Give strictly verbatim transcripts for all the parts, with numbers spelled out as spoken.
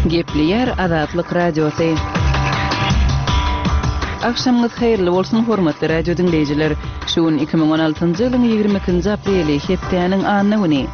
Gepleýär Azatlyk Radiosy. Agşamyňyz haýyrly bolsun, hormatly radio diňleýjiler. Şu gün iki müň on altynjy ýylyň ýigrimi ikinji apreli, hepdäniň anna güni.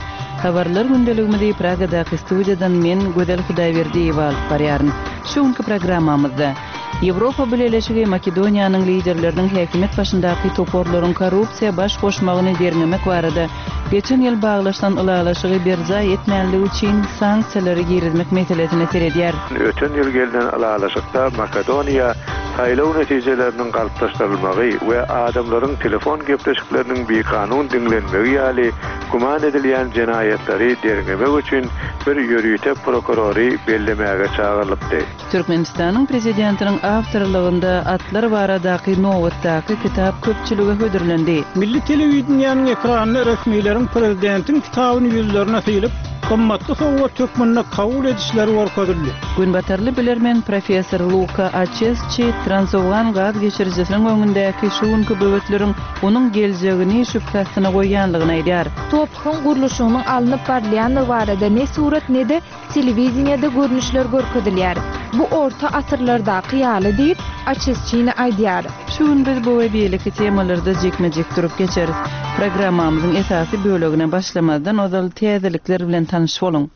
Habarlar gündeligimizi Pragadaky studiýadan men, Gözel Hudaýberdiýewa alyp barýaryn. Şu günki programmamyzda Ýewropa Bileleşigi Makedoniýanyň liderleriniň häkimiýet başyndaky toparlaryň korrupsiýa baş goşmagyny derňemek barada geçen ýyl baglaşylan ylalaşygy berjaý etmänligi üçin sanksiýalary girizmek meselesine seredýär. Öten ýyl gelnen ylalaşykda Makedoniýa saýlaw netijeleriniň galplaşdyrylmagy we adamlaryň telefon gepleşikleriniň bikanun diňlenmegi ýaly güman edilýän jenaýatlary derňemek üçin bir ýörite prokurory bellemäge çagyrylypdy. Türkmenistanyň Prezidentiniň awtorlygynda atlar baradaky nobatdaky kitap köpçülige hödürlendi. Milli telewideniýäniň ekranynda resmileriň prezidentiň kitabyny ýüzlerine sylyp, gymmatly sowgat hökmünde kabul edişleri görkezildi. Günbatarly bilermen professor Luka Açesçi Transowgan gaz geçirijisiniň öňündäki şu günki böwetleriň onuň geljegini şübhe astyna goýýanlygyny aýdýar. Tophuň gurluşygynyň alnyp barylýanlygy barada ne surat ne-de telewideniýede görnüşler görkezilýär. Bu orta asyrlardaky ýaly diýip Açesçini aýdýar. Şu gün biz bu we beýleki temalarda jikme-jik durup geçeris. Programmamyzyň esasy bölegine başlamazdan ozal täzelikler bilen tanyş boluň.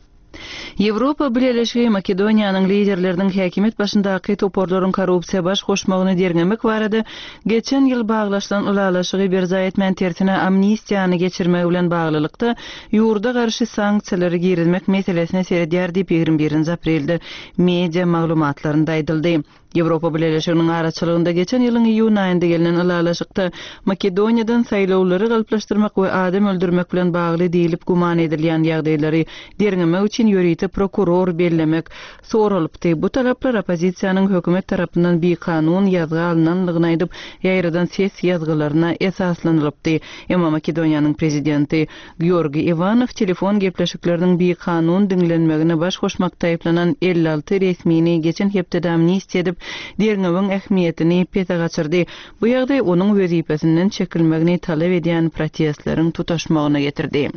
Ýewropa Bileleşigi Makedoniýanyň liderleriniň häkimiýet başyndaky toparlaryň korrupsiýa baş goşmagyny derňemek barada geçen ýyl baglaşylan ylalaşygy berjaý etmän tersine amnistiýany geçirmegi bilen baglylykda ýurda garşy sanksiýalary girizmek meselesine seredýär diýip ýigrimi birinji aprelde media maglumatlarynda aýdyldy. Ýewropa Bileleşiginiň araçylygynda geçen ýylyň iýun aýynda gelnen ylalaşykda Makedoniýadan saýlawlary galplaşdyrmak we adam öldürmek bilen bagly diýlip güman edilýän ýagdaýlary derňemek üçin ýörite prokuror bellemek soralypdy. Bu talaplar oppozisiýanyň hökümet tarapyndan bikanun ýazga alynanlygyny aýdyp, ýaýradan ses ýazgylaryna esaslanylypdy. Emma Makedoniýanyň prezidenti Georgi Iwanow telefon gepleşikleriniň bikanun diňlenmegine baş goşmakda aýyplanan elli alty resmini geçen hepdede amnistiýa edip, derňewiň ähmiýetini pese gaçyrdy. Bu ýagdaý onuň wezipesinden çekilmegini talap edýän protestleriň tutaşmagyna getirdi.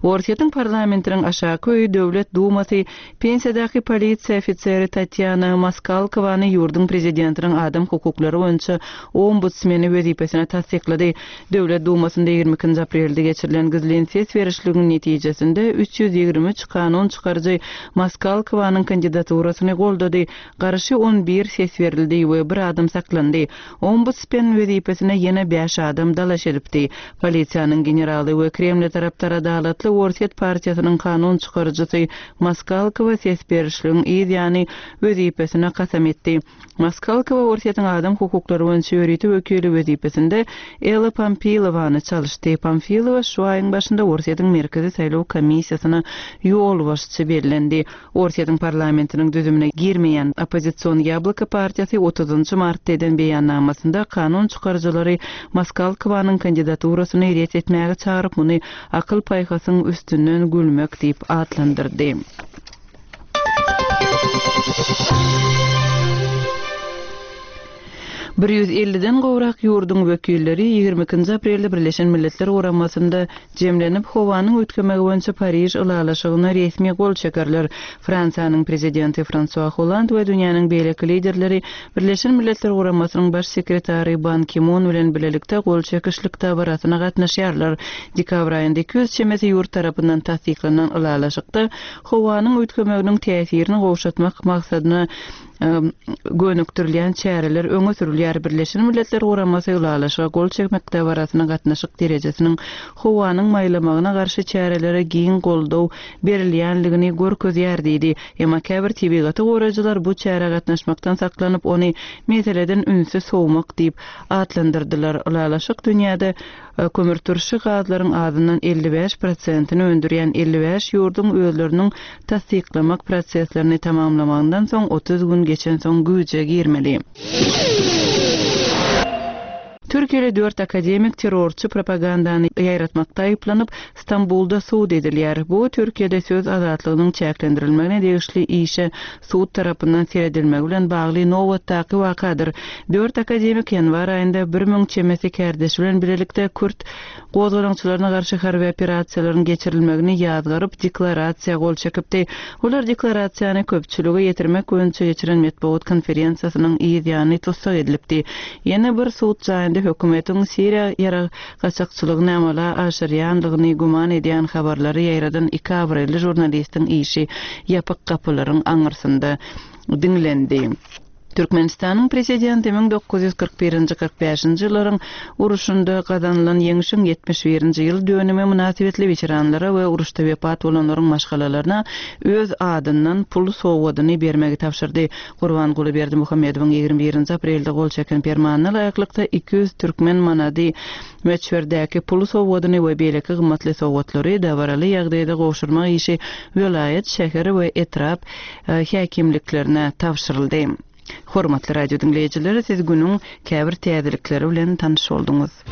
Orsýetiň parlamentiniň aşaky öýi Döwlet Dumasy pensiýadaky polisiýa ofiseri Tatýana Moskalkowany ýurduň prezidentiniň adam hukuklary boýunça ombudsmeni wezipesine tassyklady. Döwlet Dumasynda ýigrimi ikinji aprelde geçirilen gizlin ses berişligiň netijesinde üç ýüz ýigrimi üç kanun çykaryjy Moskalkowanyň kandidaturasyny goldady. Garşy on bir ses berildi we bir adam saklandy. Ombudsmen wezipesine ýene bäş adam dalaş edipdi. Polisiýanyň generaly we Kreml tarapdar Adalatly Orsýet partiýasynyň kanun çykaryjysy Moskalkowa ses berişligiň yz ýany wezipesine kasam etdi. Moskalkowa Orsýetiň adam hukuklary boýunça ýörite wekili wezipesinde Ella Pampilowany çalyşdy. Pamfilowa şu aýyň başynda Orsýetiň Merkezi saýlaw komissiýasyna ýolbaşçy bellendi. Orsýetiň parlamentiniň düzümine girmeýän oppozision Ýabloko partiýasy otuzynjy martda eden beýannamasynda kanun çykaryjylary Moskalkowanyň kandidaturasyny ret etmäge çagyryp, muny akyl paýhasyň üstünden gülmek diýip atlandyrdy. Bir ýüz elliden gowrak ýurduň wekilleri ýigrimi ikinji aprelde Birleşen Milletler Guramasynda jemlenip, howanyň üýtgemegi boýunça Pariž ylalaşygyna resmi gol çekerler. Fransiýanyň prezidenti Fransua Holland we dünýäniň beýleki liderleri Birleşen Milletler Guramasynyň baş sekretary Ban Ki-mun bilen bilelikde gol çekişlik dabarasyna gatnaşýarlar. Dekabr aýynda iki ýüz çemesi ýurt tarapyndan tassyklanan ylalaşykda howanyň üýtgemeginiň täsirini gowşatmak maksadyna gönükdirilýän çäreler öňe sürülýär. Birleşen Milletler Guramasy ylalaşyga gol çekmek dabarasyna gatnaşyk derejesiniň howanyň maýlamagyna garşy çärelere giň goldaw berilýänligini görkezýär diýdi. Emma käbir tebigaty goraýjylar bu çärä gatnaşmakdan saklanyp, ony meseleden ünsi sowmak diýip atlandyrdylar. Ylalaşyk dünýäde kömürturşy gazlaryň azyndan elli bäş prosentini öndürýän elli bäş ýurduň özleriniň tassyklamak proseslerini tamamlamagyndan soň otuz gün geçen soň güýje girmeli. Türkiýeli dört akademik terrorçy propagandany ýaýratmakda aýyplanyp, Stambulda sud edilýär. Bu Türkiýede söz azatlygynyň çäklendirilmegine degişli işe sud tarapyndan seredilmegi bilen bagly nobatdaky wakadyr. Dört akademik ýanwar aýynda bir müň çemesi kärdeşi bilen bilelikde kürt gozgalaňçylaryna garşy harby operasiýalaryň geçirilmegini ýazgaryp, deklarasiýa gol çekipdi. Olar deklarasiýany köpçülige ýetirmek boýunça geçiren metbugat konferensiýasynyň yz ýany tussag edilipdi. Ýene bir sud jaýynda hökümetiň Siriýa ýarag gaçakçylygyny amala aşyrýandygyny güman edýän habarlary ýaýradan iki abraýly žurnalistiň işi ýapyk gapylaryň aňyrsynda diňlendi. Türkmenistanyň Prezidenti müň dokuz ýüz kyrk birinji kyrk bäşinji ýyllaryň uruşynda gazanylan ýeňşiň ýetmiş birinji ýyl dönümi mynasybetli weteranlara we uruşda wepat bolanlaryň maşgalalaryna öz adyndan pul sowgadyny bermegi tabşyrdy. Gurbanguly Berdimuhamedowyň ýigrimi birinji aprelde gol çeken permanyna laýyklykda iki ýüz türkmen manady möçberdäki pul sowgadyny we beýleki gymmatly sowgatlary dabaraly ýagdaýda gowşurmak işi welaýat, şäher we etrap häkimliklerine tabşyryldy. Hormatly radio diňleýjiler, siz günüň käbir täzelikleri bilen tanyş bolduňyz.